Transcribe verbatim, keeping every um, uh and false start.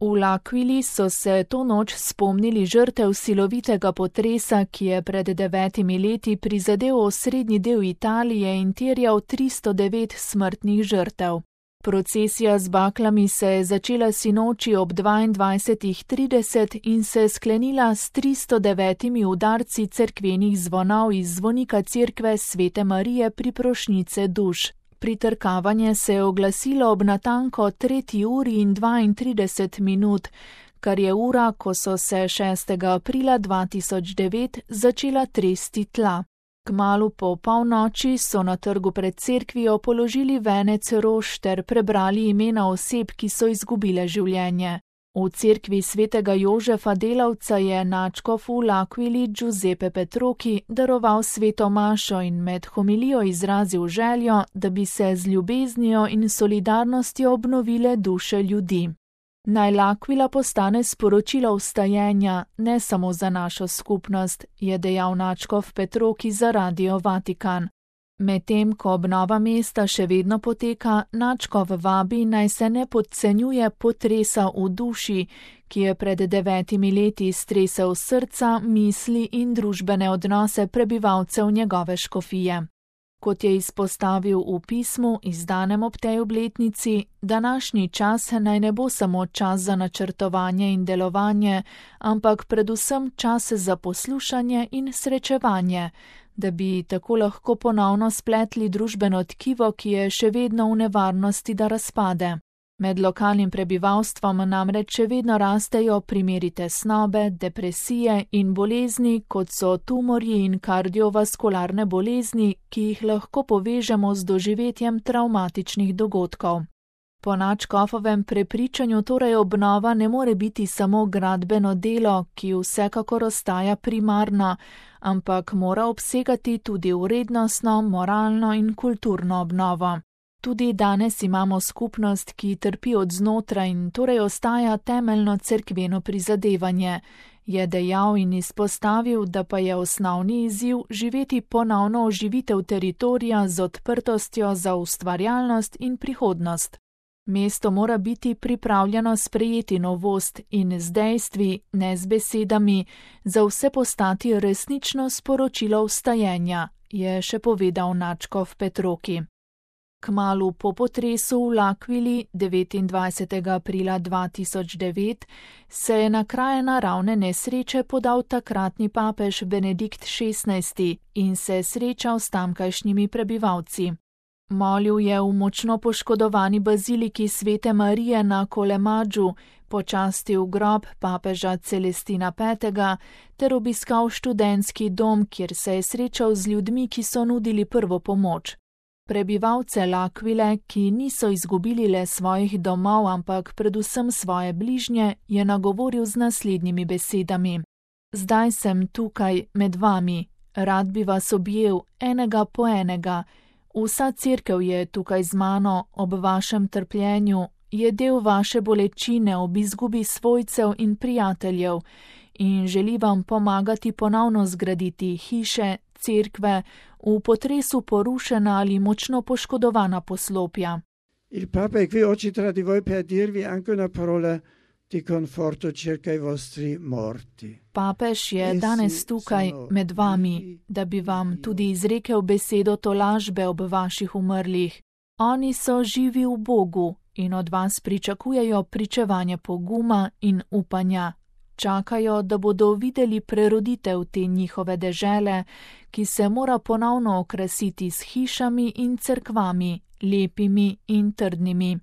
V L'Aquili so se to noč spomnili žrtev silovitega potresa, ki je pred devetimi leti prizadel osrednji del Italije in terjal tristo devet smrtnih žrtev. Procesija z baklami se je začela sinoči ob dvaindvajsetih trideset in se sklenila s tristo devetimi udarci cerkvenih zvonov iz zvonika cerkve Svete Marije Priprošnjice duš. Pritrkavanje se je oglasilo ob natanko tretji uri in dvaintrideset minut, kar je ura, ko so se šestega aprila dva tisoč devet začela tresti tla. Kmalu po polnoči so na trgu pred cerkvijo položili venec rož ter prebrali imena oseb, ki so izgubile življenje. V cerkvi svetega Jožefa Delavca je nadškof v L'Aquili Giuseppe Petrochi daroval sveto mašo in med homilijo izrazil željo, da bi se z ljubeznijo in solidarnostjo obnovile duše ljudi. Naj L'Aquila postane sporočilo vstajenja, ne samo za našo skupnost, je dejal nadškof Petrochi za Radio Vatikan. Medtem ko obnova mesta še vedno poteka, nadškof vabi, naj se ne podcenjuje potresa v duši, ki je pred devetimi leti stresel srca, misli in družbene odnose prebivalcev njegove škofije. Kot je izpostavil v pismu, izdanem ob tej obletnici, današnji čas naj ne bo samo čas za načrtovanje in delovanje, ampak predvsem čas za poslušanje in srečevanje, da bi tako lahko ponovno spletli družbeno tkivo, ki je še vedno v nevarnosti, da razpade. Med lokalnim prebivalstvom namreč še vedno rastejo primeri tesnobe, depresije in bolezni, kot so tumorji in kardiovaskularne bolezni, ki jih lahko povežemo z doživetjem travmatičnih dogodkov. Po nadškofovem prepričanju torej obnova ne more biti samo gradbeno delo, ki vsekakor ostaja primarno, ampak mora obsegati tudi vrednostno, moralno in kulturno obnovo. Tudi danes imamo skupnost, ki trpi od znotraj in torej ostaja temeljno cerkveno prizadevanje, je dejal in izpostavil, da pa je osnovni izziv živeti ponovno oživitev teritorija z odprtostjo za ustvarjalnost in prihodnost. Mesto mora biti pripravljeno sprejeti novost in z dejstvi, ne z besedami, za vse postati resnično sporočilo vstajenja, je še povedal nadškof Petrochi. Kmalu po potresu v L'Aquili devetindvajsetega aprila dva tisoč devet se je na kraje naravne nesreče podal takratni papež Benedikt šestnajsti in se srečal s tamkajšnjimi prebivalci. Molil je v močno poškodovani baziliki Svete Marije na Colemadžu, počastil grob papeža Celestina petega ter obiskal študentski dom, kjer se je srečal z ljudmi, ki so nudili prvo pomoč. Prebivalce L'Aquile, ki niso izgubili le svojih domov, ampak predvsem svoje bližnje, je nagovoril z naslednjimi besedami. Zdaj sem tukaj med vami, rad bi vas objel, enega po enega. Vsa cerkev je tukaj z mano ob vašem trpljenju, je del vaše bolečine ob izgubi svojcev in prijateljev in želi vam pomagati ponovno zgraditi hiše, cerkve, v potresu porušena ali močno poškodovana poslopja. Il Papa è qui oggi tra di voi per dirvi anche una parola di conforto circa i vostri morti. Papež je danes tukaj med vami, da bi vam tudi izrekel besedo tolažbe ob vaših umrlih. Oni so živi v Bogu in od vas pričakujejo pričevanje poguma in upanja. Čakajo, da bodo videli preroditev te njihove dežele, ki se mora ponovno okrasiti s hišami in cerkvami, lepimi in trdnimi.